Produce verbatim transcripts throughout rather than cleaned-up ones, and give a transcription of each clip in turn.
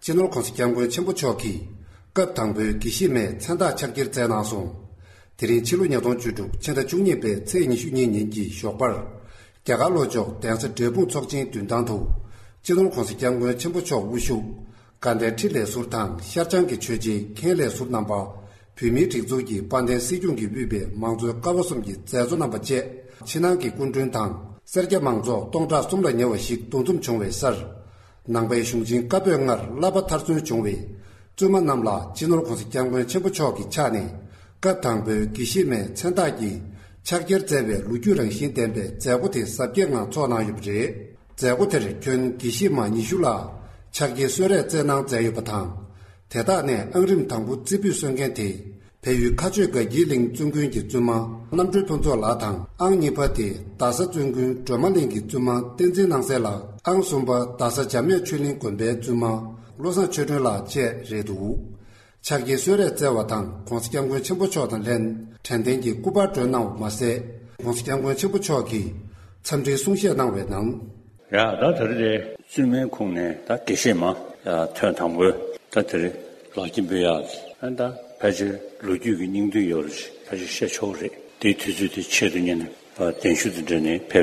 སྤྱི་ནོར་༸གོང་ས་༸སྐྱབས་མགོན་ཆེན་པོ་མཆོག་གིས་སྐབས་དང་པོའི་དགེ་བཤེས་མའི་མཚན་རྟགས་ཕྱག་འཁྱེར་མཛད་གནང་སོང་། དེ་རིང་ཕྱི་ལོ་ཉིས་སྟོང་བཅུ་དྲུག་ཕྱི་ཟླ་བཅུ་གཉིས་པའི་ཚེས་ཉི་ཤུ་གཉིས་ཉིན་གྱི་ཞོགས་པར། རྒྱ་གར་ལྷོ་ཕྱོགས་གདན་ས་འབྲས་སྤུངས་ཚོགས་ཆེན་མདུན་ཐང་དུ། སྤྱི་ནོར་༸གོང་ས་༸སྐྱབས་མགོན་ཆེན་པོ་མཆོག་དབུ་བཞུགས། དགའ་ལྡན་ཁྲི་ལས་ཟུར་དང་ཤར་བྱང་གི་ཆོས་བརྒྱུད་མཁན་ལས་ཟུར་རྣམ་པ། བོད་མིའི་སྒྲིག་འཛུགས་ཀྱི་དཔལ་ལྡན་སྲིད་སྐྱོང་གིས་དབུས་པའི་མང་གཙོའི་ཀ་བ་གསུམ་གྱི་མཛད་གཙོ་རྣམ་པ་བཅས་ཕྱི་ནང་གི་སྐུ་མགྲོན་དང་སེར་སྐྱ་མང་ཚོགས་སྟོང་ཕྲག་གསུམ་ལ་ཉེ་བ་ཞིག་འདུ་འཛོམས་བྱུང་བའི་སར། ནང་པའི་གཞུང་ཆེན་བཀའ་པོད་ལྔར་བསླབ་པ་མཐར་སོན་བྱུང་བའི་བཙུན་མ་རྣམས་ལ་སྤྱི་ནོར་༸གོང་ས་༸སྐྱབས་མགོན་ཆེན་པོ་མཆོག་གི་ཕྱག་ནས་སྐབས་དང་པོའི་དགེ་བཤེས་མའི་མཚན་རྟགས་ཀྱི་ཕྱག་འཁྱེར་སྩལ་བའི་ལོ་རྒྱུས་རང་བཞིན་ལྡན་པའི་མཛད་སྒོ་དེ་གཟབ་རྒྱས་ངང་ཚོགས་གནང་ཡོད་པ་རེད། མཛད་སྒོ་དེར་ཁྱོན་དགེ་བཤེས་མ་ཉི་ཤུ་ལ་ཕྱག་འཁྱེར་གསོལ་རས་སྩལ་གནང་མཛད་ཡོད་པ་དང་། དེ་དག་ནས་ཨང་རིམ་དང་པོ་རྩེ་ཕུད་སོན་མཁན་དེ། བལ་ཡུལ་མཁའ་སྤྱོད་དགའ་འཁྱིལ་གླིང་བཙུན་དགོན་གྱི་བཙུན་མ་རྣམ་གྲོལ་ཕུན་ཚོགས་ལགས་དང་། ཨང་གཉིས་པ་དེ་རྡ་ས་བཙུན་དགོན་སྒྲོལ་མ་གླིང་གི་བཙུན་མ་བསྟན་འཛིན་སྣང་གསལ་ལགས། ཨང་གསུམ་པ་རྡ་ས་འཇམ་དབྱངས་ཆོས་གླིང་དགོན་པའི་བཙུན་མ་བློ་བཟང་ཆོས་སྒྲོན་ལགས་བཅས་རེད་འདུག་ཕྱག་འཁྱེར་གསོལ་རས་སྩལ་བ་དང་༸གོང་ས་༸སྐྱབས་མགོན་ཆེན་པོ་མཆོག་དང་ལྷན་དྲན་རྟེན་གྱི་སྐུ་པར་སྒྲོན་གནང་བ་མ་ཟད། ༸གོང་ས་༸སྐྱབས་མགོན་ཆེན་པོ་མཆོག་གིས་འཚམས་འདྲིའི་གསུང་བཤད་གནང་བའི་ནང་། ཡ་ད་དེ་རིང་དེ་བཙུན་མའི་ཁོངས་ནས་ད་དགེ་བཤེས་མ་ཐོན་དང་པོའི་ད་དེ་རིང་ལག་འཁྱེར་འབུལ་ཡག་ཨ་ད་ཕལ་ཆེར་ལོ་རྒྱུས་ཀྱི་སྙིང་བསྡུས་ཡོད་རེད། ཕལ་ཆེར་བཤད་ཆོག་གི་རེད། དེའི་དུས་ཚོད་དེ་ཆེད་དུ་གཉེར་ནས་གདན་ཞུ་དེ་འདྲ་ནས་ཕེབས་པའི་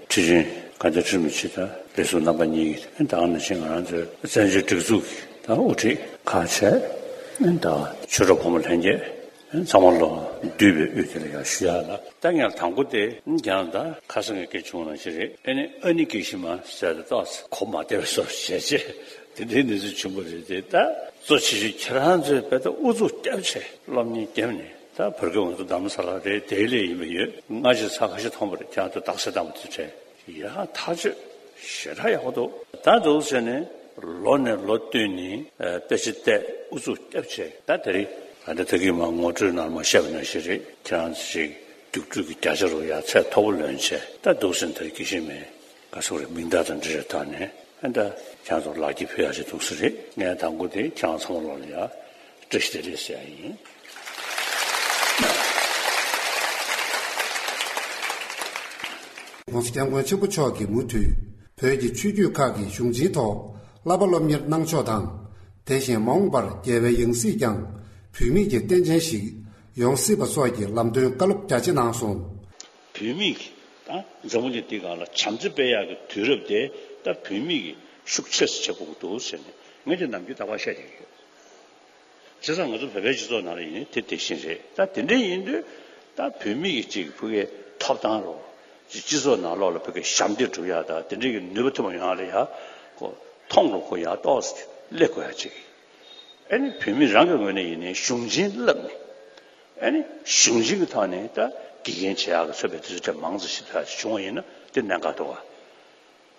ཁྲི་འཛིན་དགའ་ལྡན་ཁྲི་རིན་པོ་ཆེ་དང་ལས་ཟུར་རྣམ་པ་གཉིས་ཀྱིས་ད་ག་ནང་བཞིན་ང་རང་ཚོའི་བཙན་བྱོལ་སྒྲིག་འཛུགས་ཀྱི་ད་དབུ་ཁྲིད་ཁག་བཅས་ད་ཆོས་གྲོགས་ཕོ་མོ་ལྷན་རྒྱས། ཚང་མ་ལོ་འདུས་པའི་དབུས་དེ་ལ་ཡང་ཞུ་ཡག་ལ། ད་ངས་དང་པོ་དེ་རྒྱང་ད་ཁ་སང་གི་སྐད་བྱུང་ནང་བཞིན་རེད། ཨེ་ནི་ཨ་ནི་དགེ་བཤེས་མ་ཟེར་ཏེ་ཏོག་ཙམ་གོ་མ་བདེ་བའི་བཟོ་བྱས་བྱས་དེ་འདྲའི་གནས་ཚུལ་བྱུང་བ་རེད་དེ། ད་གཙོ་ཆེ་ཤོས་ཁྱེད་རང་ཚོས་དཔེ་ད་ཨུ་ཚུགས་བརྒྱབ་བྱས་སློབ་གཉེར་བརྒྱབ་ནས་ད་བར་སྐབས་ང་ཚོ་རྡ་རམ་ས་ལ་རེད་དེ་ལས་ཡིན་པ་ཡོད། སྔ་ཕྱི་ཚ་ཁ་ཤས་མཐོང་བ་རེད། ཁྱེད་རང་ཚོ་རྡ་སའི་རྟ་མོ་དེ་བྲལ། ཡ་ཐག་ཆོད་ཞེ་དྲག་ཡག་པོ་འདུག་ད་འདུག་ཟེར་ནས་ལོ་ནས་ལོ་བསྟུད་ནས་དཔེ་ཆ་བལྟས་ཨུ་ཚུགས་བརྒྱབ་བྱས། ད་དེ་རིང་ད་ལྟ་ད་གིན་མ་ངོ་སྤྲོད་ནང་མ་བཤད་པ་ནང་བཞིན་རེད། ཁྱེད་རང་ཚོ་ཞིག་རྒྱུགས་སྤྲོད་ཀྱི་བརྒྱ་ཆ་རུ་ཡ་ཚད་མཐོ་པོ་ལོན་བྱས། ད་འདུག་ཟེར་ནས་ད་རིང་དགེ་བཤེས་མའི་ག་སོགས་རེད་མིང་བརྡ་དང་འབྲེལ་བའི་ཐོག་ནས་ཨ་ད་ཁྱེད་རང་ཚོ་ལག་འཁྱེར་ཕུལ་ཡག་ཅིག་འདུག་ས་རེད། ངས་དང་པོ་དེ་ཁྱེད་རང་ཚང་མ་ལོག་ལ་ཡ་བཀྲ་ཤིས་བདེ་ལེགས་ཟེར་ཡ་ཡིན།༸གོང་ས་༸སྐྱབས་མགོན་ཆེན་པོ་མཆོག་གིས་མུ་མཐུད་བོད་ཀྱི་ཆོས་བརྒྱུད་ཁག་གི་གཞུང་ཆེན་ཐོག་བསླབ་པ་སློབ་གཉེར་གནང་ཕྱོགས་དང་། དེ་བཞིན་མ་འོངས་པར་རྒྱལ་བའི་ཡང་སྲིད་ཀྱང་བོད་མི་གི་རྟེན་ཅན་ཞིག་ཡོང་སྲིད་པ་སོགས་ཀྱི་ལམ་སྟོན་བཀའ་སློབ་རྒྱ་ཆེ་གནང་སོང་། བོད་མི་གི་ད་འཛམ་བུ་གླིང་འདི་སྒང་ལ་བྱམས་བརྩེ་སྤེལ་ཡག་གི་དུས་རབས་དེ་ད་བོད་མི་གིས་ཤུགས་ཆེ་ཙམ་བྱེད་དགོས་ཀྱི་འདུག་ཟེར་ནས་ངས་དེ་ནམ་རྒྱུན་རྟག་པར་བཤད་བསྡད་ཀྱི་ཡོད། བྱས་ཙང་ང་ཚོ་བོད་པའི་སྤྱི་ཚོགས་ནང་ལ་ཡིན་ནའི་དེ་དེ་བཞིན་རེད། ད་དེ་འདྲ་ཡིན་དུས་ད་བོད་མི་གི་ཅིག་ཕ་གིའི་ཐོབ་ཐང་རོ། ཅིག་སྤྱི་ཚོགས་ནང་ལོགས་ལ་ཕ་གིའི་ཞབས་འདེགས་སྒྲུབ་ཡག་དང་དེ་འདྲ་གི་ནུས་པ་ཐོན་པ་ཡོང་ཡག་ལ་ཡ། ཁོ་མཐོང་རུ་ཁོ་ཡར་ཏོག་ཙམ་སླེབས་དགོས་ཡག་ཅིག་ཨ་ནི་བོད་མི་རང་གི་ངོས་ནས་ཡིན་ནའི་གཞུང་ཆེན་བསླབས་ནས། ཨ་ནི་གཞུང་ཆེན་གྱི་ཐོག་ནས་ད་དགེ་རྒན་བྱེད་ཡག་གི་ཚོད་པའི་དུས་ཚོད་དེ་མང་ཙམ་ཞིག་ད་བྱུང་བ་ཡིན་ན་དེ་གནད་འགག་འདུག་ག་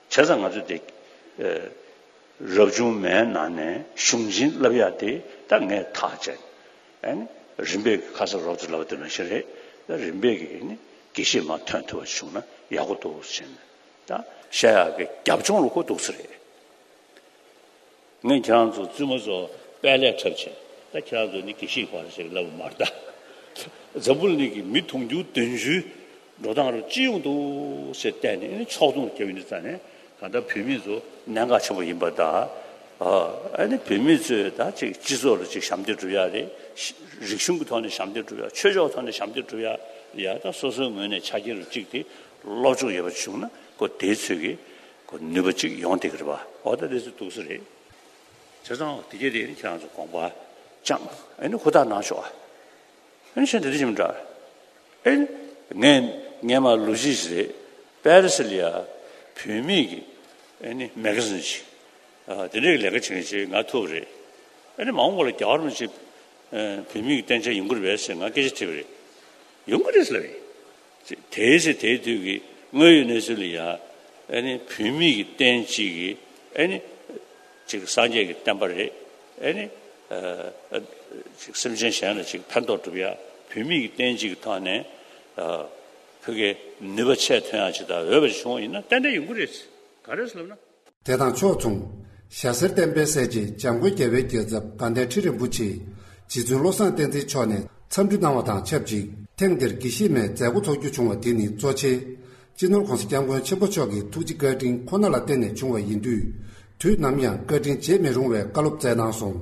བྱས་ཙང་ང་ཚོ་དེ་ཨ་རབ་བྱུང་མའི་ནང་ནས་གཞུང་ཆེན་བསླབ་ཡག་དེ་ད་ངས་ཐག་བཅད། ཨ་ནི་རིམ་པས་ཁ་སང་རོབ་ཙམ་ལབ་པ་དེ་ནང་བཞིན་རེད། ད་རིམ་པས་ཀྱི་ཨ་ནི་དགེ་བཤེས་མ་ཐོན་ཐུབ་པ་བྱུང་ན་ཡག་པོ་འདུག་ཟེར་ནས་ད་བཤད་ཡག་གི་རྒྱབ་ལྗོངས་ལ་ཁོ་འདུག་ས་རེད། ངས་ཁྱེད་རང་ཚོ་བཙུན་མ་ཚོ་དཔལ་ལས་འཁྲབ་བྱས། ད་ཁྱེད་རང་ཚོ་ནི་དགེ་བཤེས་ཁོ་རང་ཞིག་ལབ་མ་རེད་ད། འཛམ་བུ་གླིང་གི་མི་དུང་ཕྱུར་བདུན་ཅུའི་འགྲོ་སྟངས་རུ་ཅི་ཡོང་འདུག་ཟེར་བལྟས་ནས་ཨ་ནི་ཕྱོགས་མཚུངས་རྒྱབ་ཡིན་དུས་ཙང་ནས་གང་ལྟར་བོད་མི་ཚོ་གནད་འགག་ཆེན་པོ་ཡིན་པ་དང་། ཨ་ནི་བོད་མི་ཚོས་ད་ཅིག་སྤྱི་ཚོགས་ལ་ཅིག་ཞབས་འདེགས་སྒྲུབ་ཡག་རེད། རིག་གཞུང་གི་ཐོག་ནས་ཞབས་འདེགས་སྒྲུབ་ཡག་ཆོས་ཕྱོགས་ཐོག་ནས་ཞབས་འདེགས་སྒྲུབ་ཡག་ཡ་ད་སོ་སོའི་ངོས་ནས་ཆ་རྐྱེན་རུ་གཅིག་དེ་སློབ་སྦྱོང་ཡོད་པ་བྱུང་ན་ཁོ་དེའི་ཚོད་ཀྱི། ཁོ་ནུས་པ་གཅིག་ཡོང་བསྡད་ཀྱི་རེད་པ། འོ་ད་དེ་ཚོ་འདུག་ས་རེད། བྱས་ཙང་དེ་གས་དེ་ནི་ཁྱེད་རང་ཚོ་དགོངས་པ་བཅངས་ཨེ་ནི་ཧུར་ཐག་གནང་ཤོག་ཨ་ཨེ་ནི་གཞན་དེ་འདྲ་ཞིག་མི་འདྲ། ཨེ་ནི་ངས་སྔས་མ་ལོ་གཅིག་ཞིག་རེད། པེ་རི་སི་ལ་ཡ་བོད་མིའི་གི་ཨེ་ནི་མེ་ག་ཟིན་ཞིག་ཨ་དེ་འདྲའི་ལས་ཀ་བྱེད་མཁན་ཞིག་ང་ཐུག་པ་རེད། ཨེ་ནི་མ་འོངས་པ་ལ་རྒྱལ་བ་རིན་པོ་ཆེ་བོད་མིའི་གི་རྟེན་ཅན་ཡོང་གི་རེད་པས་ཟེར་ང་སྐད་ཆ་དྲིས་པ་རེད། ཡོང་གི་རེད་ཟེར་ལབ་པས། དེའི་ཚེ་དེའི་དུས་ཀྱི་དངོས་ཡོད་གནས་ཚུལ་ལ་ཡ། ཨ་ནི་བོད་མི་གི་རྟེན་གཅིག་གི་ཨ་ནི་ཅིག་སངས་རྒྱས་ཀྱི་བསྟན་པ་རེད། ཨ་ནི་ཨ་ཅིག་སེམས་ཅན་གཞན་ལ་ཅིག་ཕན་ཐོགས་སྒྲུབ་ཡ་བོད་མི་གི་རྟེན་གཅིག་གི་ཐོག་ནས་ཨ་ཕ་གིའི་ནུས་པ་ཆེ་ཐོན་ཡ་ཅིག་དང་འོས་པ་ཅིག་བྱུང་བ་ཡིན་ན་ཏན་ཏན་ཡོང་གི་རེད། ག་རེ་ཟེར་ལབ་ན། དེ་དང་ཕྱོགས་མཚུངས། ཞྭ་སེར་བསྟན་པའི་སྲས་བཅས་འཇམ་མགོན་རྒྱལ་བའི་རྒྱལ་ཚབ་དགའ་ལྡན་ཁྲི་རིན་པོ་ཆེ་རྗེ་བཙུན་བློ་བཟང་བསྟན་འཛིན་མཆོག་ནས་འཚམས་འདྲི་གནང་བ་དང་ཆབས་ཅིག་ཐེངས་འདིར་དགེ་བཤེས་མའི་མཛད་སྒོ་འཚོགས་རྒྱུ་བྱུང་བ་དེ་ནི་གཙོ་ཆེ། སྤྱི་ནོར་༸གོང་ས་༸སྐྱབས་མགོན་ཆེན་པོ་མཆོག་གི་ཐུགས་རྗེ་བཀའ་དྲིན་ཁོ་ན་ལ་བརྟེན་ནས་བྱུང་བ་ཡིན་དུས། དུས་ནམ་ཡང་བཀའ་དྲིན་བརྗེད་མི་རུང་བའི་བཀའ་སློབ་སྩལ་གནང་སོང་།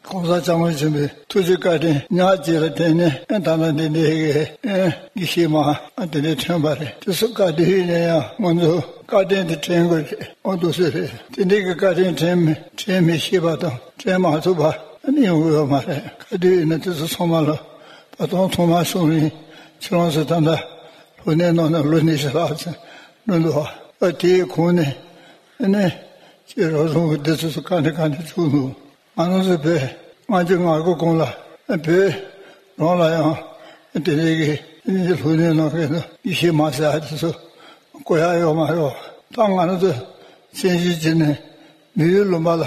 ༸གོང་ས་༸སྐྱབས་མགོན་ཆེན་པོའི་ཐུགས་རྗེ་བཀའ་དྲིན་ཉག་གཅིག་ལ་བརྟེན་ནས་ཨེ་ད་ལྟ་འདི་འདྲའི་གི་ཨེ་དགེ་བཤེས་མ་ཨ་དེ་འདྲའི་ཐོན་པ་རེད། དེ་ཚོ་ག་དུས་ཡིན་ན་ཡང་ང་ཚོ་བཀའ་དྲིན་དེ་དྲན་དགོས་རེད། ཨོ་འདུག་སེ་རེད། དེ་འདྲའི་གི་བཀའ་དྲིན་དྲན་མི་དྲན་མི་ཤེས་པ་དང་དྲན་མ་ཐུབ་པ་ཨ་ནི་ཡོང་གི་ཡོད་མ་རེད། ག་དུས་ཡིན་ན་དེ་ཚོ་ཚང་མ་ལ་བ་སྟོང་ཐོག་མ་སོང་རིང་ཁྱེད་རང་ཚོ་ད་ལྟ་ལྷོ་སྣེ་ནང་ན་ལོ་ཉི་ཤུ་ལྷག་ཙམ་འགྲོ་འདུག་ཨ་དེའི་གོང་ནས་ཨ་ནི་ཁྱེད་རང་ཚོ་གི་དེ་ཚོ་ག་འདྲ་ག་འདྲ་བྱུང་འདུག་ང་རང་ཚོ་བོད་སྔ་ཕྱི་ང་གི་གོང་ལ་བོད་རང་ལ་ཡང་དེ་རིགས་ཀྱི་ལྷོ་སྣེ་ནང་གི་ཡེ་ཤེས་མ་ཟེར་ཡ་དེ་ཚོ་གོ་ཡ་ཡོད་མ་རེད། ད་ང་རང་ཚོ་ཆེན་ཞིག་བྱས་ནས་མི་ཡུལ་ལུང་པ་ལ་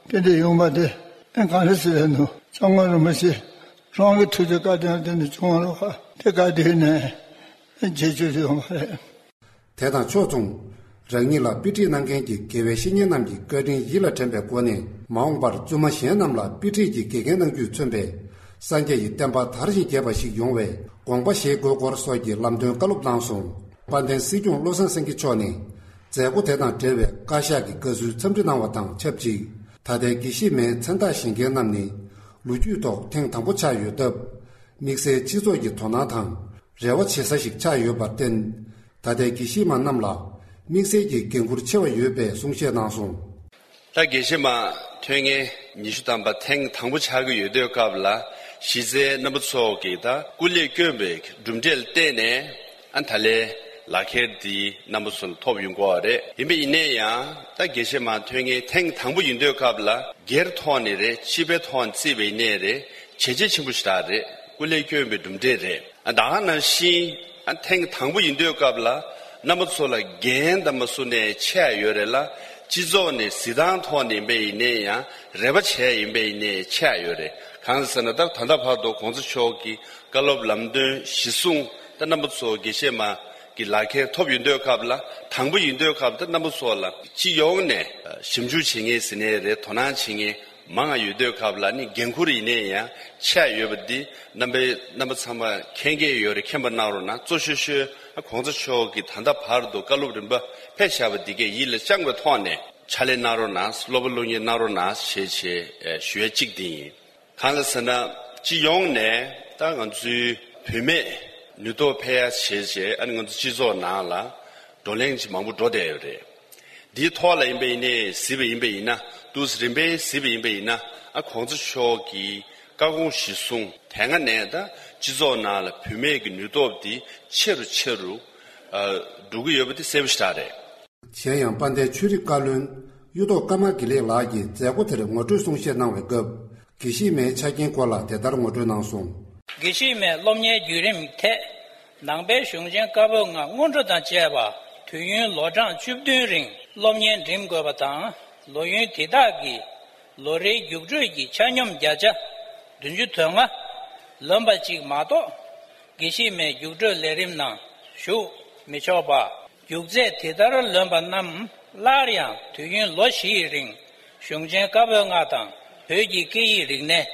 དེ་འདྲ་ཡོང་པ་དེ་ཨེ་ག་རེ་ཟེར་ཡ་འདུག་སྐྱབས་མགོན་རིན་པོ་ཆེ་རང་གི་ཐུགས་རྗེ་བཀའ་དྲིན་དེ་འདྲ་བྱུང་བ་རེད། དེ་ག་དུས་ནས་བརྗེད་རྒྱུ་ཡོད་མ་རེད། དེ་དང་ཕྱོགས་མཚུངས། རང་ཉིད་ལ་དཔེ་ཁྲིད་གནང་མཁན་གྱི་དགེ་བའི་བཤེས་གཉེན་རྣམས་ཀྱི་བཀའ་དྲིན་ཡིད་ལ་དྲན་པའི་སྒོ་ནས་མ་འོངས་པར་བཙུན་མ་གཞན་རྣམས་ལ་དཔེ་ཁྲིད་ཀྱི་དགེ་རྒན་གནང་རྒྱུས་མཚོན་པའི་སངས་རྒྱས་ཀྱི་བསྟན་པ་དར་ཞིང་རྒྱས་པ་ཞིག་ཡོང་བའི་དགོངས་པ་བཞེས་དགོས་སྐོར་སོགས་ཀྱི་ལམ་སྟོན་བཀའ་སློབ་གནང་སོང་། དཔལ་ལྡན་སྲིད་སྐྱོང་བློ་བཟང་སེང་གེ་མཆོག་ནས་མཛད་སྒོ་དེ་དང་འབྲེལ་བའི་བཀའ་ཤག་གི་བཀའ་ཟུར་འཚམས་འདྲི་གནང་བ་དང་ཆབས་ཅིག་ད་ལྟའི་དགེ་བཤེས་མའི་མཚན་རྟགས་བཞེས་མཁན་རྣམས་ནི་ལོ་རྒྱུས་ཐོག་ཐེངས་དང་པོ་ཆགས་ཡོད་སྟབས། དམིགས་བསལ་སྤྱི་ཚོགས་ཀྱི་དོ་སྣང་དང་རེ་བ་བྱེད་ས་ཞིག་ཆགས་ཡོད་པར་བརྟེན། ད་ལྟའི་དགེ་བཤེས་མ་རྣམས་ལ་དམིགས་བསལ་གྱི་འགན་ཁུར་ཆེ་བ་ཡོད་པའི་གསུང་བཤད་གནང་སོང་། ད་དགེ་བཤེས་མ་ཐོན་མཁན་ཉི་ཤུ་ཐམ་པ་ཐེངས་དང་པོ་ཆགས་ཀྱི་ཡོད་དུས་སྐབས་ལ་གཞི་རྩའི་རྣམ་པ་ཚོ་གིས་ད་སྐུ་ལས་བསྐྱོན་པའི་གྲུབ་འབྲས་ལ་བརྟེན་ནས་ཨ་ད་ལས་ལག་ཁྱེར་འདི་རྣམ་པ་ཚོ་ལ་ཐོབ་ཡོང་གི་ཡོད་རེད། ཡིན་པ་ཡིན་ནའི་ཡང་ད་དགེ་བཤེས་མ་ཐོན་མཁན་ཐེངས་དང་པོ་ཡིན་དུས་སྐབས་ལ་སྒེར་ཐོག་ནས་རེད། སྤྱི་པའི་ཐོག་ནས་བརྩིས་པ་ཡིན་ནའི་རེད། བྱས་རྗེས་ཆེན་པོ་ཞེ་དྲག་རེད། སྐུ་ལས་བསྐྱོན་པའི་གྲུབ་འབྲས་རེད། ཨ་ད་ག་ནང་བཞིན་ཨ་ཐེངས་དང་པོ་ཡིན་དུས་སྐབས་ལ་རྣམ་པ་ཚོ་ལ་འགན་དང་མ་སུ་ནས་ཆེ་ཡ་ཡོད་རེད་ལ། སྤྱི་ཚོགས་ནས་གཟིགས་སྟངས་ཐོག་ནས་ཡིན་པ་ཡིན་ནའི་ཡང་རེ་བ་བྱས་ཡིན་པ་ཡིན་ནའི་ཆེ་ཡ་ཡོད་རེད། གང་ཟེར་ན་ད་ད་ལྟ་བར་དུ་གོང་ས་མཆོག་གི་བཀའ་སློབ་ལམ་སྟོན་གཞི་བཟུང་ད་རྣམ་པ་ཚོ་དགེ་བཤེས་མ་གི་ལག་ཁྱེར་ཐོབ་ཡོང་དུས་སྐབས་ལ་དང་པོ་ཡིན་དུས་སྐབས་ད་རྣམ་པ་ཚོ་ལ་སྤྱི་ཡོངས་ནས་ཞིབ་འཇུག་བྱེད་མཁན་ཟེར་ནའི་རེད། དོ་སྣང་བྱེད་མཁན་མང་ང་ཡོད་དུས་སྐབས་ལ་ནི་འགན་ཁུར་ཡིན་ནའི་ཡང་ཆགས་ཡོད་པ་འདི་རྣམ་པའི་རྣམ་པ་ཚང་མ་མཁྱེན་གྱི་ཡོད་རེད། མཁྱེན་པ་གནང་རོགས་གནང་། གཙོ་ཤོས་ཤོས་གོང་ས་མཆོག་གིས་ད་ལྟ་བར་དུ་བཀའ་སློབ་རིམ་པ་ཕེབས་བཞག་པ་འདི་གས་ཡིད་ལ་བཅངས་པའི་ཐོག་ནས་ཕྱག་ལས་གནང་རོགས་གནང་། སློབ་པ་སློབ་གཉེར་གནང་རོགས་གནང་ཞེས་བྱས་ཞུ་ཡ་གཅིག་འདི་ཡིན། གང་ལ་ཟེར་ན་སྤྱི་ཡོངས་ནས་ད་ང་ཚོའི་བུད་མེད་ནུས་སྟོབས་འཕེལ་ཡ་བྱས་བྱས་ཨ་ནི་ང་ཚོ་སྤྱི་ཚོགས་ནང་ལ་བགྲོ་གླེང་ཅིག་མང་པོ་འགྲོ་བསྡད་ཡོད་རེད། འདིའི་ཐོག་ལ་ཡིན་པ་ཡིན་ནའི་གཟིགས་པ་ཡིན་པ་ཡིན་ན་འདུག་སེ་རིམ་པས་གཟིགས་པ་ཡིན་པ་ཡིན་ན་ཨ་གོང་ས་མཆོག་གི་བཀའ་དགོངས་གཞི་བཟུང་དེ་སྔ་ནས་ད་སྤྱི་ཚོགས་ནང་ལ་བུད་མེད་ཀྱི་ནུས་སྟོབས་འདི་ཆེ་རུ་ཆེ་རུ་ཨ་འགྲོ་གི་ཡོད་པ་དེ་གསལ་པོ་ཞེ་དྲག་རེད། གཞན་ཡང་དཔལ་ལྡན་ཆོས་རིག་བཀའ་བློན་གཡུ་ཐོག་ཀརྨ་དགེ་ལེགས་ལགས་ཀྱིས་མཛད་སྒོ་དེར་ངོ་སྤྲོད་གསུང་བཤད་གནང་བའི་སྐབས། དགེ་བཤེས་མའི་ཆ་རྐྱེན་སྐོར་ལ་དེ་ལྟར་ངོ་སྤྲོད་གནང་སོང་། དགེ་བཤེས་མའི་སློབ་གཉེར་བརྒྱུད་རིམ་ཐད། ནང་པའི་གཞུང་ཆེན་བཀའ་པོད་ལྔ་སྔོན་འགྲོ་དང་བཅས་པ་དུས་ཡུན་ལོ་གྲངས་བཅུ་བདུན་རིང་སློབ་གཉེར་འགྲིམ་དགོས་པ་དང་། ལོ་ཡུན་དེ་དག་གི་ལོ་རེའི་རྒྱུགས་སྤྲོད་ཀྱི་ཆ་སྙོམས་བརྒྱ་ཆ་བདུན་ཅུ་དོན་ལྔ་ལོན་པ་གཅིག་མ་གཏོགས། དགེ་བཤེས་མའི་རྒྱུགས་སྤྲོད་ལས་རིམ་ནང་ཞུགས་མི་ཆོག་པ། རྒྱུགས་ཚད་དེ་ལྟར་ལོན་པ་རྣམས་སླར་ཡང་དུས་ཡུན་ལོ་བཞི་ཡི་རིང་གཞུང་ཆེན་བཀའ་པོད་ལྔ་དང་བོད་ཀྱི་སྐད་ཡིག་རིག་གནས།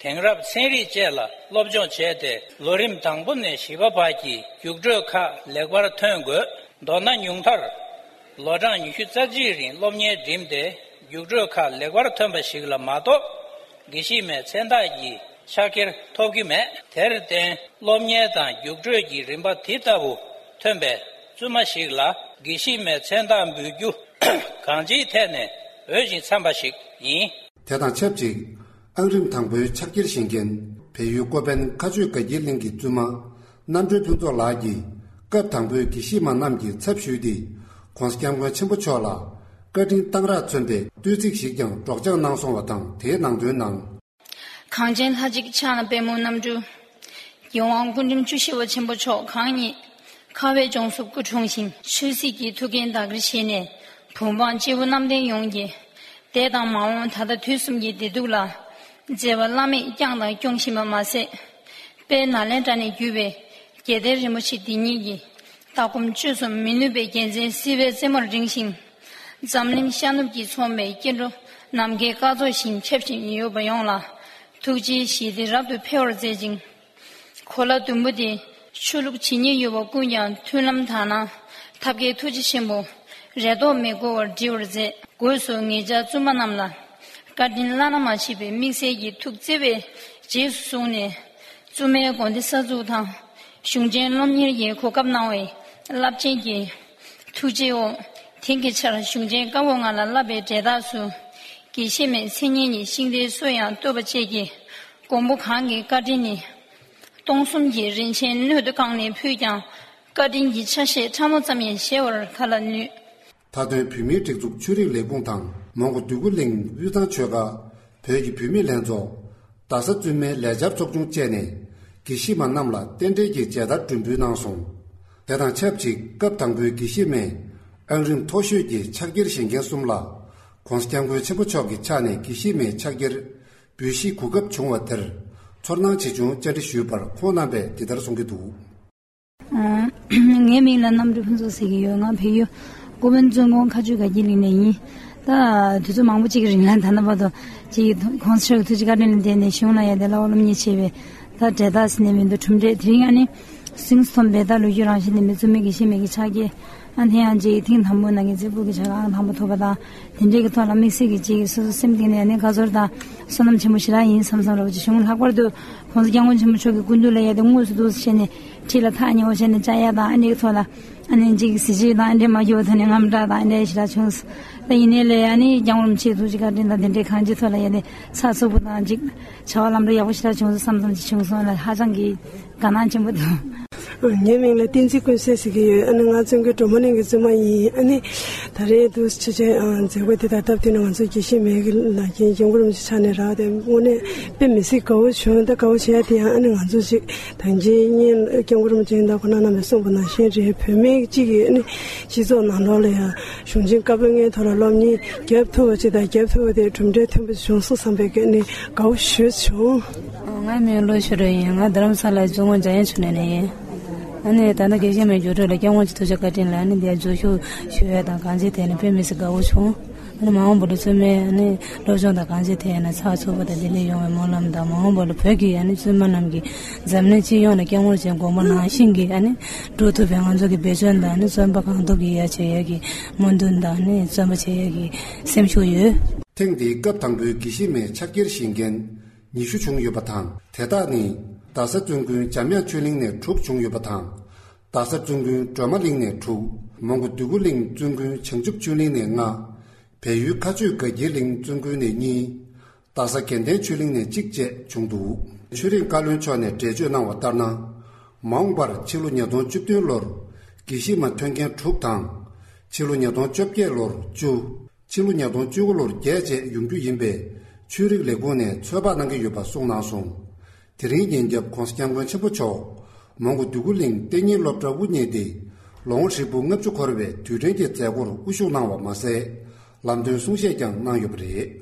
དེང་རབས་ཚན་རིག་བཅས་ལ་སློབ་སྦྱོང་བྱས་ཏེ། ལོ་རིམ་དང་པོ་ནས་བཞི་པ་བར་གྱི་རྒྱུགས་སྤྲོད་ཁག་ལེགས་པར་ཐོན་དགོས། མདོར་ན་ཉུང་མཐར་ལོ་གྲངས་ཉི་ཤུ་རྩ་གཅིག་རིང་སློབ་གཉེར་འགྲིམས་ཏེ། རྒྱུགས་སྤྲོད་ཁག་ལེགས་པར་ཐོན་པ་ཞིག་ལ་མ་གཏོགས། དགེ་བཤེས་མའི་མཚན་རྟགས་ཀྱི་ཕྱག་འཁྱེར་ཐོབ་ཀྱི་མེད། དེར་བརྟེན། སློབ་གཉེར་དང་རྒྱུགས་སྤྲོད་ཀྱི་རིམ་པ་དེ་ལྟ་བུ་ཐོན་པའི་བཙུན་མ་ཞིག་ལ་དགེ་བཤེས་མའི་མཚན་རྟགས་འབུལ་རྒྱུ་གང་ཅིའི་ཐད་ནས་འོས་ཤིང་འཚམས་པ་ཞིག་ཡིན། དེ་དང་ཆབས་ཅིག་ཨང་རིམ་དང་པོའི་ཕྱག་འཁྱེར་བཞེས་མཁན་བལ་ཡུལ་ཀོ་པན་མཁའ་སྤྱོད་དགའ་འཁྱིལ་གླིང་གི་བཙུན་མ་རྣམ་གྲོལ་ཕུན་ཚོགས་ལགས་ཀྱིས་སྐབས་དང་པོའི་དགེ་བཤེས་མ་རྣམས་ཀྱི་ཚབ་ཞུས་ཏེ། ༸གོང་ས་༸སྐྱབས་མགོན་ཆེན་པོ་མཆོག་ལ་བཀའ་དྲིན་གཏང་རག་མཚོན་པའི་བསྟོད་ཚིག་ཞིག་ཀྱང་སྒྲོག་སྦྱང་གནང་སོང་བ་དང་། དེའི་ནང་དོན་ནང་། གངས་ཅན་ལྷ་གཅིག་ཕྱག་ན་པདྨོ་རྣམ་འཕྲུལ། རྒྱལ་དབང་སྐུ་ཕྲེང་བཅུ་བཞི་པ་ཆེན་པོ་མཆོག་གང་ཉིད་ཁ་བའི་ལྗོངས་སུ་སྐུ་འཁྲུངས་ཤིང་། ཆོས་སྲིད་ཀྱི་ཐུགས་འགན་བདག་གིར་བཞེས་ནས། བོད་འབངས་སྤྱི་བོ་གནམ་བསྟན་ཡོངས་ཀྱི་འདས་དང་མ་འོངས་ད་ལྟ་དུས་གསུམ་གྱི་བདེ་སྡུག་ལ་མཛད་པ་བླ་མེད་བསྐྱངས་དང་སྐྱོང་བཞིན་པ་མ་ཟད། དཔལ་ནཱ་ལེནྡྲ་ནས་བརྒྱུད་པའི་རྒྱལ་བསྟན་རིན་པོ་ཆེ་འདི་ཉིད་ཀྱི་ལྟ་སྒོམ་སྤྱོད་གསུམ་མི་ནུབ་པའི་རྒྱལ་མཚན་བསིལ་བའི་རྩེ་མོར་བསྒྲེངས་ཤིང་། འཛམ་གླིང་ཤར་ནུབ་ཀྱིས་མཚོན་པའི་སྐྱེ་འགྲོ་ནམ་མཁའི་སྐར་ཚོགས་བཞིན་ཁྱབ་བཞིན་ཡོད་པ་ཡོངས་ལ་ཐུགས་རྗེའི་ཞི་བདེ་རབ་ཏུ་འཕེལ་བར་མཛད་ཅིང་། གོ་ལ་ཟླུམ་པོ་དེ་ཆོས་ལུགས་ཇི་སྙེད་ཡོད་པ་ཀུན་ཀྱང་མཐུན་ལམ་དག་ན་ཐབས་མཁས་ཐུགས་རྗེ་ཆེན་པོ་རེ་དོགས་མེད་བསྐོར་བར་འགྲིལ་བར་མཛད། སྒོས་སུ་ངེད་ཅག་བཙུན་མ་རྣམས་ལ་བཀའ་དྲིན་བླ་ན་མ་མཆིས་པའི་དམིགས་བསལ་གྱི་ཐུགས་བརྩེ་བས་རྗེས་སུ་བཟུང་ནས། བཙུན་མའི་དགོན་སྡེ་གསར་འཛུགས་དང་། གཞུང་ཆེན་སློབ་གཉེར་གྱི་གོ་སྐབས་གནང་བའི་རླབས་ཆེན་གྱི་ཐུགས་རྗེའི་འོག་དེང་གི་ཆར་གཞུང་ཆེན་བཀའ་འོག་ལྔ་ལ་བསླབ་པའི་འབྲས་རྟགས་སུ། དགེ་བཤེས་མའི་མཚན་སྙན་གྱི་ཤིང་རྟའི་སྲོལ་ཡང་བཏོད་པ་བཅས་ཀྱི་མགོན་པོ་གང་གི་བཀའ་དྲིན་ནི། སྟོང་གསུམ་གྱི་རིན་ཆེན་སྣོད་དུ་བཀང་ནས་ཕུལ་ཀྱང་། བཀའ་དྲིན་གྱི་ཆ་ཤས་ཕྲ་མོ་ཙམ་ཡང་གཞལ་བར་ག་ལ་ནུས། མཐའ་དོན་བོད་མིའི་སྒྲིག་འཛུགས་ཆོས་རིག་ལས་ཁུངས་དང་མོན་གྷོ་འདོད་རྒུ་གླིང་དབུས་གཙང་ཆོལ་ཁ། བོད་ཀྱི་བུད་མེད་ལྷན་ཚོགས། རྡ་ས་བཙུན་མའི་ལས་འཆར་ཚོགས་ཆུང་བཅས་ནས་དགེ་བཤེས་མ་རྣམས་ལ་རྟེན་འབྲེལ་གྱི་མཇལ་དར་སྒྲོན་འབུལ་གནང་སོང་། དེ་དང་ཆབས་ཅིག་སྐབས་དང་པོའི་དགེ་བཤེས་མའི་ཨང་རིམ་མཐོ་ཤོས་ཀྱི་ཕྱག་འཁྱེར་བཞེས་མཁན་གསུམ་ལ། ༸གོང་ས་༸སྐྱབས་མགོན་ཆེན་པོ་མཆོག་གི་ཕྱག་ནས་དགེ་བཤེས་མའི་ཕྱག་འཁྱེར་འབུལ་བཞེས་གོ་སྐབས་བྱུང་བ་དེར་ཚོར་སྣང་ཇི་བྱུང་བཅར་འདྲི་ཞུས་པར་ཁོང་རྣམ་པས་འདི་ལྟར་གསུང་གི་འདུག། ཨ། ངའི་མིང་ལ་གནམ་གྲུ་ཕུན་ཚོགས་ཟེར་གྱི་ཡོད། ང་བལ་ཡུལ་ཀོ་པན་བཙུན་དགོན་མཁར་ཆུ་དགའ་སྐྱིད་གླིང་ནས་ཡིན། ད་དུས་ཚོད་མང་པོ་ཅིག་གི་རིང་ལ་ད་ལྟ་བར་དུ་ཅིག་གོང་ས་མཆོག་གི་ཐུགས་རྗེ་བཀའ་དྲིན་ལ་བརྟེན་ནས་གཞུང་ལ་ཡ་དེ་བསླབ་པ་སློབ་གཉེར་བྱས་པའི་ད་འབྲས་རྟགས་ཟེར་ནས་མི་འདུག། གྲུབ་འབྲས་དེ་རིང་ཨ་ནི་གཟེངས་སུ་ཐོན་པའི་ད་ལོ་རྒྱུས་རང་བཞིན་ལྡན་པའི་བཙུན་མའི་དགེ་བཤེས་མའི་གི་ཕྱག་འཁྱེར། ཨ་ནི་ཡང་ཅིག་ཐེངས་དང་པོ་ནང་གི་རྩེ་ཕུད་ཀྱི་ཕྱག་ཨང་དང་པོ་ཐོབ་པ་དང་། དེ་འདྲའི་གི་ཐོག་ལ་དམིགས་བསལ་གྱི་ཅིག་སོ་སོ་སེམས་གཏིང་ནས་ཨ་ནི་དགའ་ཚོར་དང་བསོད་ནམས་ཆེན་པོ་ཞེ་དྲག་ཡིན་བསམ་བསམ་རེད་པ་ཅིག་བྱུང་། ལྷག་པར་དུ་༸གོང་ས་༸སྐྱབས་མགོན་ཆེན་པོ་མཆོག་གི་སྐུ་མདུན་ལ་ཡ་དེ་དངོས་སུ་འདུག་སེ་བྱས་ནས་ཁྲིད་ལ་ཐག་ཉེ་བོ་བྱས་ནས་བཅར་ཡ་དང་། ཨ་ནི་གི་ཐོག་ལ་ཨ་ནི་ཅིག་གཟི་བརྗིད་དང་ཨ་འདྲའི་མ་འགྱུར་བ་ཐོག་ནས་དངངས་སྐྲག་དང་ཨ་འདྲའི་ཞེ་དྲག་བྱུང་། ད་ཡིན་ནའི་ལས་ཨ་ནི་སྐྱབས་མགོན་རིན་པོ་ཆེའི་ཐུགས་རྗེ་བཀའ་དྲིན་དང་དེ་འདྲའི་གང་ཅིའི་ཐོག་ལ་ཡ་དེ་ཚགས་ཚུད་པོ་དང་ཅིག་བྱ་བ་ལམ་འགྲོ་ཡག་པོ་ཞེ་དྲག་བྱུང་སོང་བསམ་བསམ་ཅིག་བྱུང་སོང་། ལ་ཧ་ཅང་གི་དགའ་སྣང་ཆེན་པོ་འདུག། ངའི་མིང་ལ་བསྟན་འཛིན་ཀུན་གསལ་ཟེར་གྱི་ཡོད། ཨ་ནི་ང་བཙུན་དགོན་གྲོ་མོ་གླིང་གི་བཙུན་མ་ཡིན། ཨ་ནི་ད་རེས་འདུག་ཆེ་ཆེ་མཛད་སྒོ་འདི་དང་སྟབས་བསྟུན་ནས་ང་ཚོ་དགེ་བཤེས་མའི་གི་ལག་འཁྱེར་སྐྱབས་མགོན་རིན་པོ་ཆེ་ཕྱག་ནས་རག་དེ་དངོས་གནས་དཔེ་མི་སྲིད་དགའ་བོ་བྱུང་། ད་དགའ་བོ་བྱས་དེ་ཡང་ཨ་ནི་ང་ཚོ་ཅིག་ད་གིན་སྐྱབས་མགོན་རིན་པོ་ཆེ་ཡིན་ད་ཁོ་ན་རྣམ་པས་གསུངས་པ་ནང་བཞིན་རེད། བོད་མི་གཅིག་གིས་ཨ་ནི་སྤྱི་ཚོགས་ནང་ལོགས་ལ་ཡང་གཞུང་ཆེན་བཀའ་པོད་ལྔའི་ཐོག་ལ་སློབ་གཉེར་རྒྱབ་ཐུབ་པ་ཅིག་དང་རྒྱབ་ཐུབ་པ་དེ་གྲུབ་འབྲས་ཐོན་པ་བྱུང་སོང་བསམ་པའི་གི་ཨ་ནི་དགའ་བོ་ཞེ་པོ་བྱུང་། ང་མིང་བློ་ཤོད་རེད་ཡིན། ང་རྡ་རམ་ས་ལའི་བཙུན་དགོན་འཇམ་དབྱངས་ཆོས་གླིང་ནས་ཡིན། ཨ་ནི་ད་ལྟ་དགེ་བཤེས་མའི་འགྱུར་འགྲོས་ལ་སྐྱབས་མགོན་གྱི་ཐུགས་རྗེ་བཀའ་དྲིན་ལ་ཨ་ནི་འདིར་འཛུལ་ཞུགས་ཞུ་ཡས་དང་གང་ཅིའི་ཐད་ནས་དཔེ་མི་སྲིད་དགའ་བོ་བྱུང་། ཨ་ནི་མ་འོངས་པ་ལ་བཙུན་མའི་ཨ་ནི་སློབ་སྦྱོང་དང་གང་ཅིའི་ཐད་ནས་ཚགས་ཚུད་པ་དང་ལྡན་ལྡན་ཡོང་བའི་སྨོན་ལམ་དང་། མ་འོངས་པ་ལ་བོད་ཀྱི་ཨ་ནི་བཙུན་མ་རྣམས་ཀྱིས་འཛམ་གླིང་སྤྱི་ཡོངས་ལ་སྐྱབས་མགོན་རིན་པོ་ཆེའི་དགོངས་པ་ནང་བཞིན་གྱི་ཨ་ནི་སྒྲུབ་ཐུབ་པའི་ང་ཚོ་གི་འབད་བརྩོན་དང་ཨ་ནི་བརྩོན་པ་གང་ཐུབ་ཀྱིས་ཡ་བྱེད་ཡས་ཀྱི་སྨོན་འདུན་དང་ཨ་ནི་བརྩོན་པ་བྱེད་ཡས་ཀྱི་སེམས་ཤུགས་ཡོད། ཐེངས་འདིའི་སྐབས་དང་པོའི་དགེ་བཤེས་མའི་ཕྱག་འཁྱེར་བཞེས་མཁན་ཉི་ཤུ་བྱུང་ཡོད་པ་དང་། དེ་དག་ནི་རྡ་ས་བཙུན་དགོན་འཇམ་དབྱངས་ཆོས་གླིང་ནས་དྲུག་བྱུང་ཡོད་པ་དང་། རྡ་ས་བཙུན་དགོན་སྒྲོལ་མ་གླིང་ནས་དྲུག། མོན་གྷོ་འདོད་རྒུ་གླིང་བཙུན་དགོན་བྱང་ཆུབ་ཆོས་གླིང་ནས་ལྔ། བལ་ཡུལ་མཁར་ཆུ་དགའ་སྐྱིད་གླིང་བཙུན་དགོན་ནས་གཉིས། རྡ་ས་དགེ་ལྡན་ཆོས་གླིང་ནས་གཅིག་བཅས་བྱུང་འདུག། ཆོས་རིག་བཀའ་བློན་མཆོག་ནས་འགྲེལ་བརྗོད་གནང་བ་ལྟར་ན། མ་འོངས་པར་ཕྱི་ལོ་ཉིས་སྟོང་བཅུ་བདུན་ལོར་དགེ་བཤེས་མ་ཐོན་མཁན་དྲུག་དང་། ཕྱི་ལོ་ཉིས་སྟོང་བཅོ་བརྒྱད་ལོར་བཅུ། ཕྱི་ལོ་ཉིས་སྟོང་བཅུ་དགུ་ལོར་བརྒྱད་བཅས་ཡོང་རྒྱུ་ཡིན་པས། ཆོས་རིག་ལས་ཁུངས་ནས་ཚོད་དཔག་གནང་གི་ཡོད་པ་གསུངས་གནང་སོང་། དེ་རིང་ཉིན་རྒྱབ་༸གོང་ས་༸སྐྱབས་མགོན་ཆེན་པོ་མཆོག་མོན་གྷོ་འདོད་རྒུ་གླིང་གཏན་ཉིན་སློབ་གྲྭ་དབུ་བརྙེས་ཏེ། ལོ་ངོ་ཧྲིལ་པོ་ལྔ་བཅུ་འཁོར་བའི་དུས་དྲན་གྱི་མཛད་སྒོར་དབུ་བཞུགས་གནང་བ་མ་ཟད། ལམ་སྟོན་གསུང་བཤད་ཀྱང་གནང་ཡོད་པ་རེད།